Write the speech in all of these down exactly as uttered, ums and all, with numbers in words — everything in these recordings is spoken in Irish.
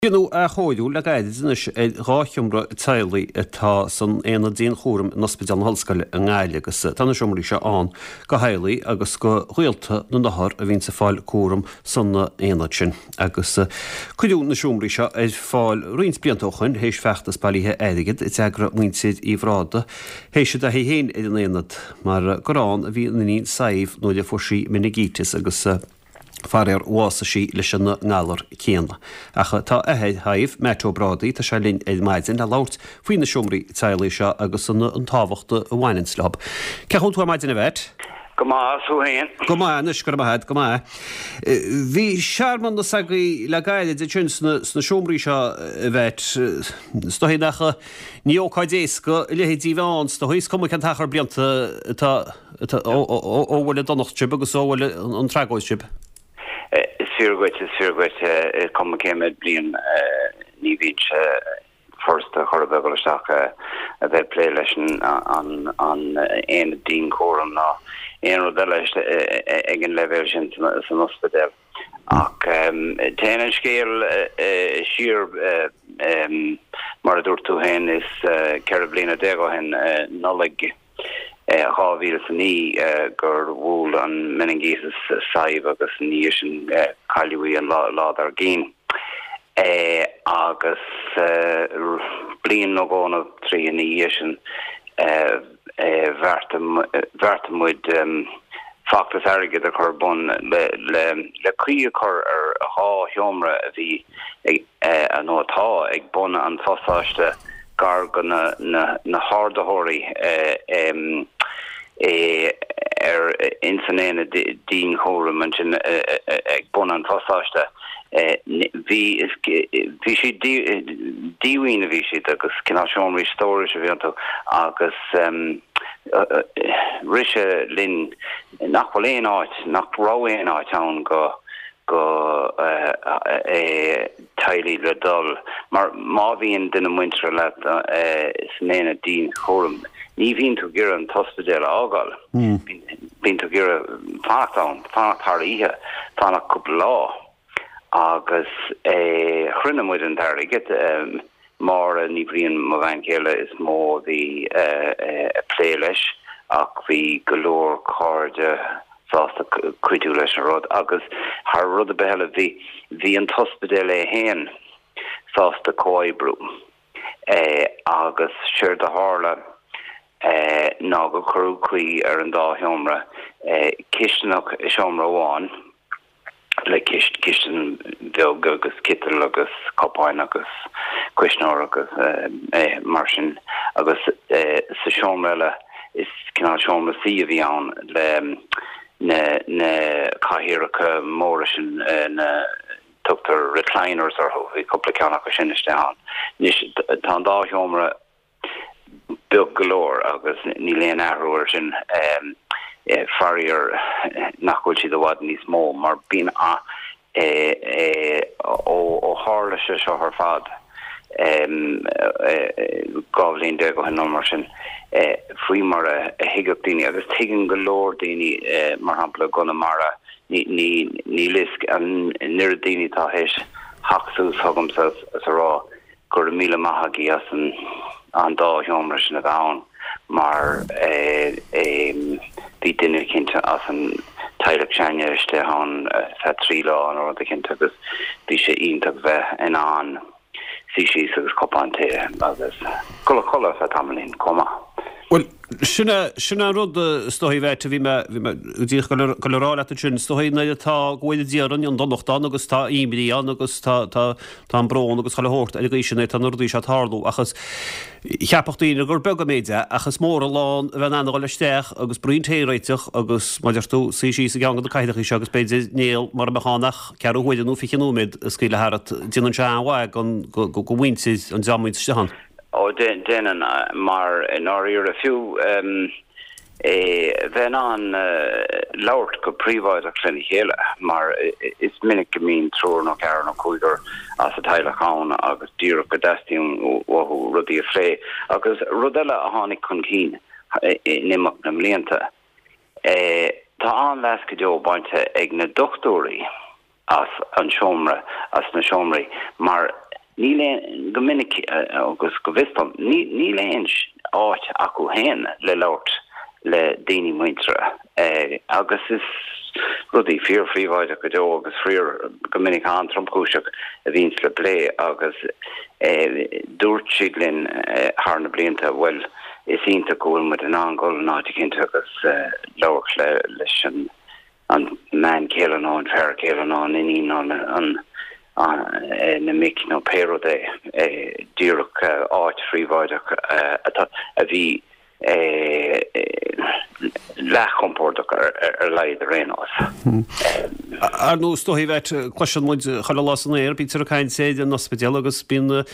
Déanadh athchóiriú le gairid anois ar dhá sheomra teaghlaigh atá san Aonad Dianchúraim in Ospidéal na hOllscoile i nGaillimh agus tá na seomraí seo ann do theaghlaigh agus do ghaolta na n-othar a bhíonns ag fáil cúram san aonad sin. Agus cuireadh na seomraí seo ar fáil roinnt blianta ó shoin théis feachtas bailithe airgid a d'eagraigh muintir Uí Bhrádaigh théis a dtaithí féin ar an aonad mar gur ann a bhí a n-iníon Sadhbh nuair a fuair sí meiningíteas agus faraor bhásaigh sí leis an ngalar céanna. Ach tá athair Shadhbh, Matt Ó Brádaigh, tá sé linn ar maidin le labhairt faoi na seomraí teaghlaigh seo agus an an tábhacht a bhaineanns leo. Cén chaoi a bhfuil tú ar maidin a Mhatt? Go maith, thú féin? Go maith anois, go raibh maith agat, go maith. Bhí searmanas agaibh le gairid ansin sna sna seomraí seo a Mhatt. Is dóigh nach ní ócáid éasca a leithéidí a bheith ann, is dóigh, is cuma cén t-achar blianta atá atá ó ó bhuail an donacht sibh agus ó bhuail an tragóid sibh. Is fíor dhuit, is fíor dhuit, is cuma cé mhéad bliain, ní bhíonn sé furasta chor ar bith dul isteach a bheith ag plé leis an aonad dianchúraim ná aon rud eile ag an leibhéal sin san ospidéal. Ach téann an scéal siar, mar a dúirt tú féin, is ceithre bliana déag ó shin, Nollaig dhá mhíle is a naoi gur bhuail an meiningíteas Sadhbh agus ina dhiaidh sin cailleadh í an lá dár gcionn. Agus bliain nó dhó nó trí ina dhiaidh sin bheartaigh muid feachtas airgid a chur ar bun le caoi a chur ar dhá sheomra a bhí ag nó atá ag bun an phasáiste gar do na hardaitheoirí ar ins an aonad dianchúraim ansin ag bun an phasáiste. Bhí bhí siad díomhaoin a bhí siad agus cineál seomraí stórais a bhí iontu agus rith sé linn nach bhfuil aon áit, nach raibh aon áit ann go go teaghlaigh le dul, mar má bhíonn duine muinteartha leat san aonad dianchúraim, ní bhíonn tú ag iarraidh an t-ospidéal a fhágáil, bíonn tú ag iarraidh fanacht ann, fanacht thar oíche, fanacht cúpla lá. Agus chruinnigh muid an t-airgead, Máire Ní Bhriain, mo bhean chéile, is mó a bhí ag plé leis ach bhí go leor cairde sásta cuidiú leis an rud agus thar rud ar bith eile bhí bhí an t-ospidéal é féin sásta comhoibriú agus séard a tharla ná gur cuireadh caoi ar an dá sheomra, cisteanach i seomra amháin. le cistin bheag agus citeal agus cupáin agus cuisneoir agus mar sin agus sa seomra eile is cineál seomra suí a bhí ann le na na cathaoireacha móra sin na tugtar recliners orthu, bhí cúpla ceann acu sin istigh ann. Anois tá an dá sheomra beag go leor agus níl aon athrú air sin, faraor nach bhfuil siad i bhfad níos mó mar bíonn a ó tharla sé seo ar fad dhá bhliain déag ó shin nó mar sin, faoi mar a thuigfeadh daoine agus tuigeann go leor daoine mar shampla i gConamara níl fhios an oiread daoine atá théis theacht suas chugamsa is a rá Go raibh míle maith agaibh as an dá sheomra sin a bheith ann mar bhí duine eicínt as an teaghlach s'againne istigh ann feadh trí lá nó rud eicínt agus bhí sé iontach bheith in ann suí síos agus cupán tae agus dul a chodladh feadh tamaillín chomh maith. Bhuel, sin é, sin é an rud is dóigh a Mhatt, a bhí mé, bhí mé díreach ag dul a rá leat ansin, is dóigh nuair atá, go bhfuil Dia orainn, an donacht ann agus tá imní ann agus tá, tá, tá an brón agus chuile shórt ar an gcaoi sin é, tá na rudaí seo ag tarlú ach is, cheapfadh daoine gur beag an méid é ach is mór an lán a bheith in ann a dhul isteach agus braon tae a réiteach agus, mar a deir tú, suí síos i gceann de na cathaoireacha seo agus b'fhéidir níl mura mbeadh ann ach ceathrú huaire nó fiche nóiméad a scaoileadh tharat, déanann sé an-mhaith don, go, go, go mhuintir an dream a bhíonns istigh ann. Ó, déanann, mar i ndáiríre, fiú bheith in ann labhairt go príobháideach lena chéile, mar is minic go mbíonn triúr nó ceathrar nó cúigear as an teaghlach ann agus díreach go dteastaíonn uathu rudaí a phlé. Agus rud eile a tháinig chun cinn in imeacht na mblianta, tá an-leas go deo bainte ag na dochtúirí as an seomra, as na seomraí, mar Níl aon, go minic agus go bhfios dom, níl aon áit acu féin le labhairt le daoine muinteartha agus is rudaí fíorphríobháideach go deo agus fíor go minic an-tromchúiseach a bhíonns le plé agus dúirt siad linn thar na blianta, bhuel, is iontach go bhfuil muid in ann dul in áit eicínt agus labhairt leis an an mbean chéile nó an fear céile nó an iníon nó an na mic nó pé rud é, díreach áit phríobháideach atá a bhí leathchompordach ar a laghad ar aon nós. Ar ndóigh, is dóigh bheit, cloiseann muid chuile lá san aer, bítear ag caint ar an ospidéal agus bíonn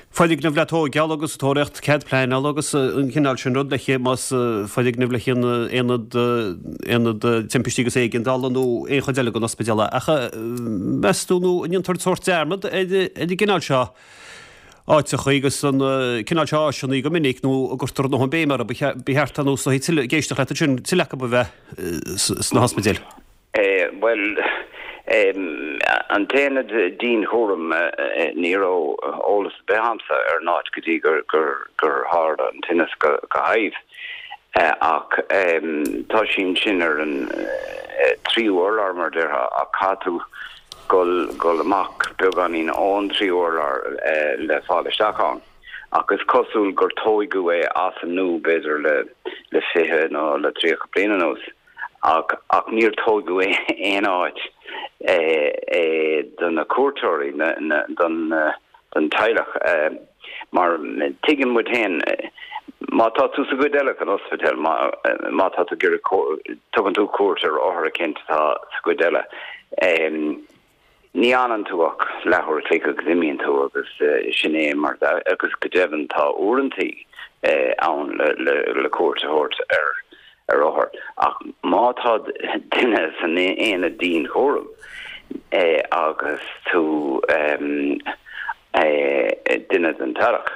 foirgneamh le tóigeáil agus tóraíocht cead pleanála agus an cineál sin rud le más foirgneamh le aonad aonad timpistí agus éigeandála nó aon chuid eile den ospidéal. Ach meas tú nó an ndéantar sórt dearmad ar an gcineál seo áiteacha agus an cineál seo áiseanna go minic nó an gcuirtear a ndóthain béim orthu, ba cheart ar nós tuilleadh, ag éisteacht leat ansin, tuilleadh acu a bheith sna hospidéil. Bhuel, an t-aonad dianchúraim, ní raibh eolas ar bith agamsa ar an áit go dtí gur tharla an tinneas do Shadhbh. Ach tá sí ansin ar an tríú urlár, mar a déarfá, ach caithfidh tú dul amach beagáinín ón tríú urlár le fáil isteach ann. Ach is cosúil gur tóigeadh é as an nua b'fhéidir le fiche nó le tríocha bliain anuas. Ach ach níor tóigeadh aon áit do na cuairteoirí, don don teaghlach, mar tuigeann muid féin, má tá tú sa gcuid eile den ospidéal, má má tá tú ag iarraidh, tugann tú cuairt ar othar eicínt atá sa gcuid eile, Ní fhanann tú ach leathuair a chloig agus imíonn tú agus sin é mar agus go deimhin tá uaireantaí ann le cuairt a thabhairt ar ar othar ach má tá duine san aonad dianchúraim agus tú duine den teaghlach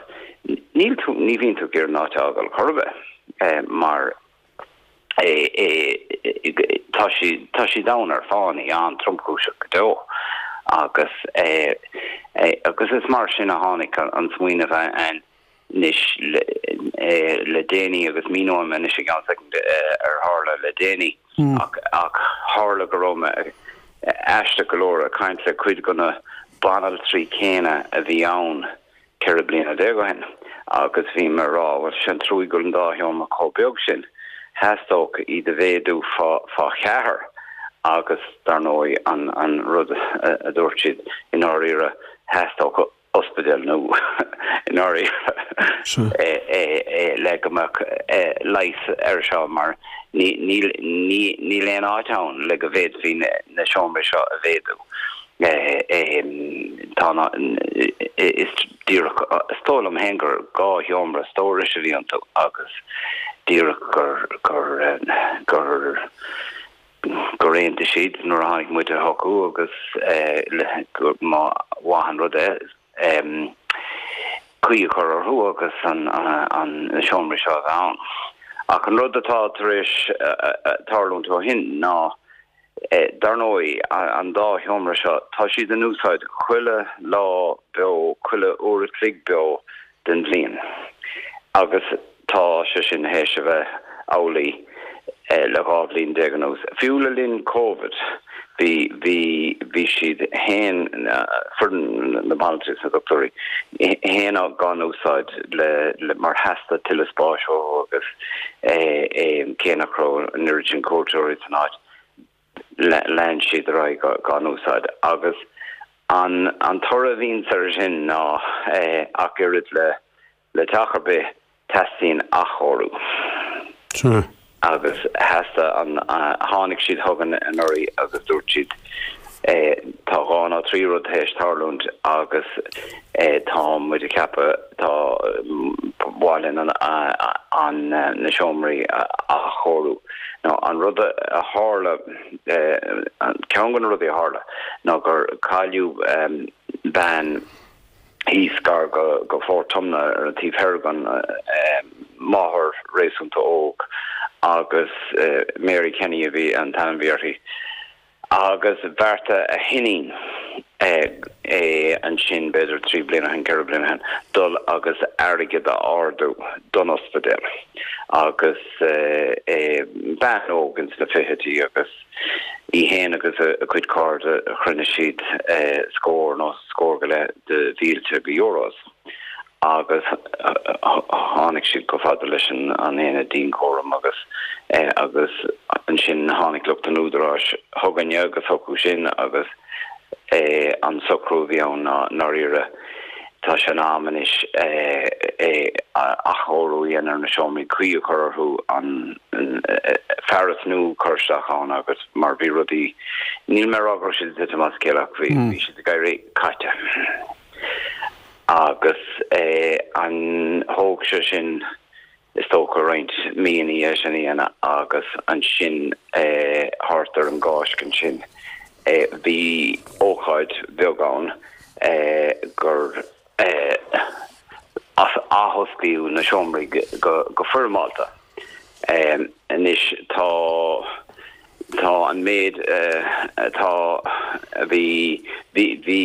níl tú ní bhíonn tú ag iarraidh an áit a fhágáil chor ar bith mar Tá siad tá siad ann ar fánaí an-tromchúiseach go deo agus agus is mar sin a tháinig an smaoineamh anois le déanaí agus míneoidh mé anois i gceann soicind ar tharla le déanaí ach ach tharla go raibh mé aisteach go leor ag caint le cuid de na banaltraí céanna a bhí ann ceithre bliana déag ó shin agus bhí mé ag rá, bhuel, sin trua go bhfuil an dá sheomra chomh beag sin, theastódh iad a mhéadú fá fá cheathair agus dar ndóigh an an rud a dúirt siad i ndáiríre theastódh ospidéal nua i ndáiríre le go mbeadh leigheas air seo mar ní níl ní níl aon áit ann le go bhféadfaí na seomraí seo a mhéadú. Tá na, is díreach, is dóigh liom féin gur dhá sheomra stórais a bhí iontu agus díreach gur, gur, gur, gur aontaigh siad nuair a tháinig muide chucu agus gur mba mhaith an rud é caoi a chur orthu agus an, an, na seomraí seo a bheith ann. Ach an rud atá tar éis tarlúint ó shin ná Dar ndóigh, an dá sheomra seo, tá siad in úsáid chuile lá beo, chuile uair a chloig beo den bhliain agus tá sé sin théis a bheith amhlaidh le dhá bhliain déag anuas. Fiú le linn Covid, bhí, bhí, bhí siad fhéin, foireann na banaltraí agus na dochtúirí fhéin á n-úsáid le, le, mar theastaigh tuilleadh spáis uathu agus cé nach raibh an oiread sin cuairteoirí san áit. lean siad ar aghaidh dhá n-úsáid agus an an toradh a bhíonns air sin ná ach oiread le le teach ar bith teastaíonn athchóiriú. Sea. Agus theastaigh an tháinig siad chugainn anuraidh agus dúirt siad tá dhá nó trí rud théis tarlúint agus tá muid ag ceapadh tá ba mhaith linn an an na seomraí a athchóiriú. Nó an rud a tharla, ceann de na rudaí a tharla ná gur cailleadh bean thíos gar go Fort Tumna ar an taobh thoir den máthair réasúnta óg agus Mary Kenny a bhí an t-ainm a bhí uirthi. Agus bheartaigh a hiníon é ansin b'fhéidir trí bliana ó shin ceithre bliana ó shin dul agus airgead a ardú don ospidéal agus bean óg ins na fichidí agus í féin agus a cuid cairde chruinnigh siad scór nó scór go leith de mhílte de euros. Agus tháinig siad chomh fada leis an aonad dianchúraim agus agus ansin tháinig lucht an údaráis chugainne agus chucu sin agus an socrú a bhí ann ná ndáiríre tá sé in am anois athchóiriú a dhéanamh ar na seomraí caoi a chur orthu an fearas nua a chur isteach ann agus mar bhí rudaí níl mé ag rá go raibh siad ag titim as a chéile ach bhí siad ag éirí caite. Agus an thóg sé sin is dócha roinnt míonna é sin a dhéanamh agus ansin thart ar an gCáisc ansin bhí ócáid bheag ann gur athosclaíodh na seomraí go foirmeálta. Anois tá tá an méid atá bhí bhí bhí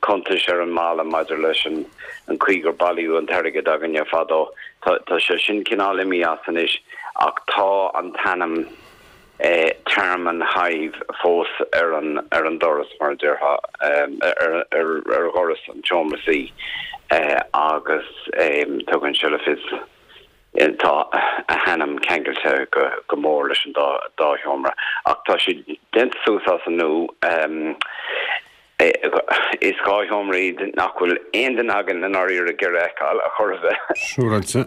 cuntais ar an mballa maidir leis an an chaoi gur bailíodh an t-airgead againne fadó. Tá tá sé sin cineál imithe as anois ach tá an t-ainm Tearmann Hive fós ar an ar an doras mar a déarfá ar ar ar dhoras an tseomra suí agus tugann sé le fios Tá a hainm ceangailte go mór leis an dá sheomra ach tá siad déanta suas as an nua. Is dhá sheomra iad nach bhfuil aon duine againn i ndáiríre ag iarraidh a fheiceáil ar chor ar bith. Siúráilte.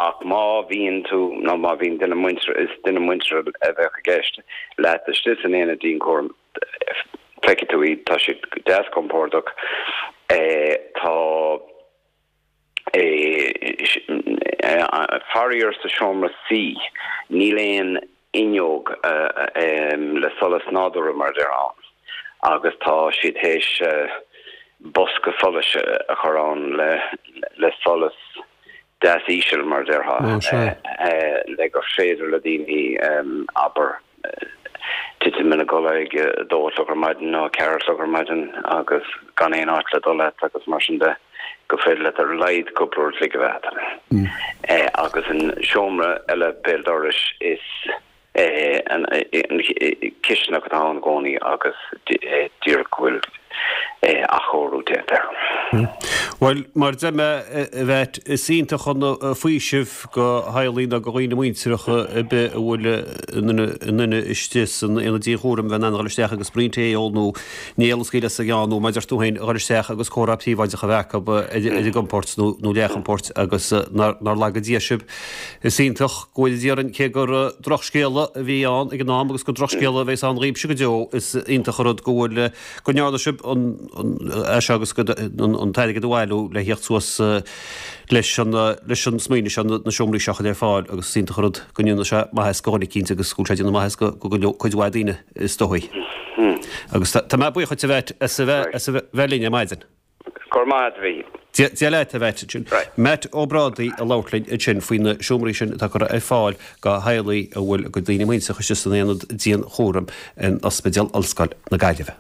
Ach má bhíonn tú nó má bhíonn duine muinteartha, is duine muinteartha a bheadh i gceist leat istigh san aonad dianchúraim, feicfidh tú iad, tá siad deas compordach. Tá. Faraor sa seomra suí níl aon fhuinneog le solas nádúrtha mar a déarfá ann agus tá siad théis bosca solais a chur ann le solas deas íseal mar a déarfá le gur féidir le daoine abair titim ina gcodladh ag a dó a chlog ar maidin nó a ceathair a chlog ar maidin agus gan aon áit le dul leat agus mar sin de, gur féidir leat ar a laghad cúpla uair a chloig a bheith agat. Agus an seomra eile béal dorais is an chisteanach atá ann i gcónaí agus díreach go bhfuil athchóiriú déanta air. Bhuel, mar a deir mé, a Mhatt, is iontach an faoiseamh do theaghlaigh nó do dhaoine muinteartha ar bith a bhfuil a nduine istigh san aonad dianchúraim bheith in ann a dhul isteach agus braon tae a ól nó néal a scaoileadh as a gceann nó, mar a deir tú féin, a dhul isteach agus comhrá príobháideach a bheith acu ar a gcompord nó leathchompord agus nár laga Dia sibh. Is iontach go bhfóire Dia orainn cé gur drochscéala a bhí ann ag an am agus gur drochscéala a bheas ann dhaoibhse go deo, is iontach an rud go bhfuil, go ndearna sibh an, é seo agus an t-airgead a bhailiú le thíocht suas leis an, leis an smaoineamh seo, na seomraí seo a chur ar fáil agus is iontach an rud go ndéanfaidh sé maitheas do dhuine eicínt agus go bhfuil sé ag déanamh maitheas go, go cuid mhaith daoine is dóigh. Agus tá mé buíoch dhuit a Mhatt as a bheith, as a bheith linn ar maidin. Go raibh maith agat a Mhíchíl. Dia leat, a Mhatt. Matt Ó Brádaigh ag labhairt linn ansin faoi na seomraí sin atá curtha ar fáil do theaghlaigh a bhfuil a gcuid daoine muinteartha istigh san aonad dianchúraim in Ospidéal Ollscoil na Gaillimhe.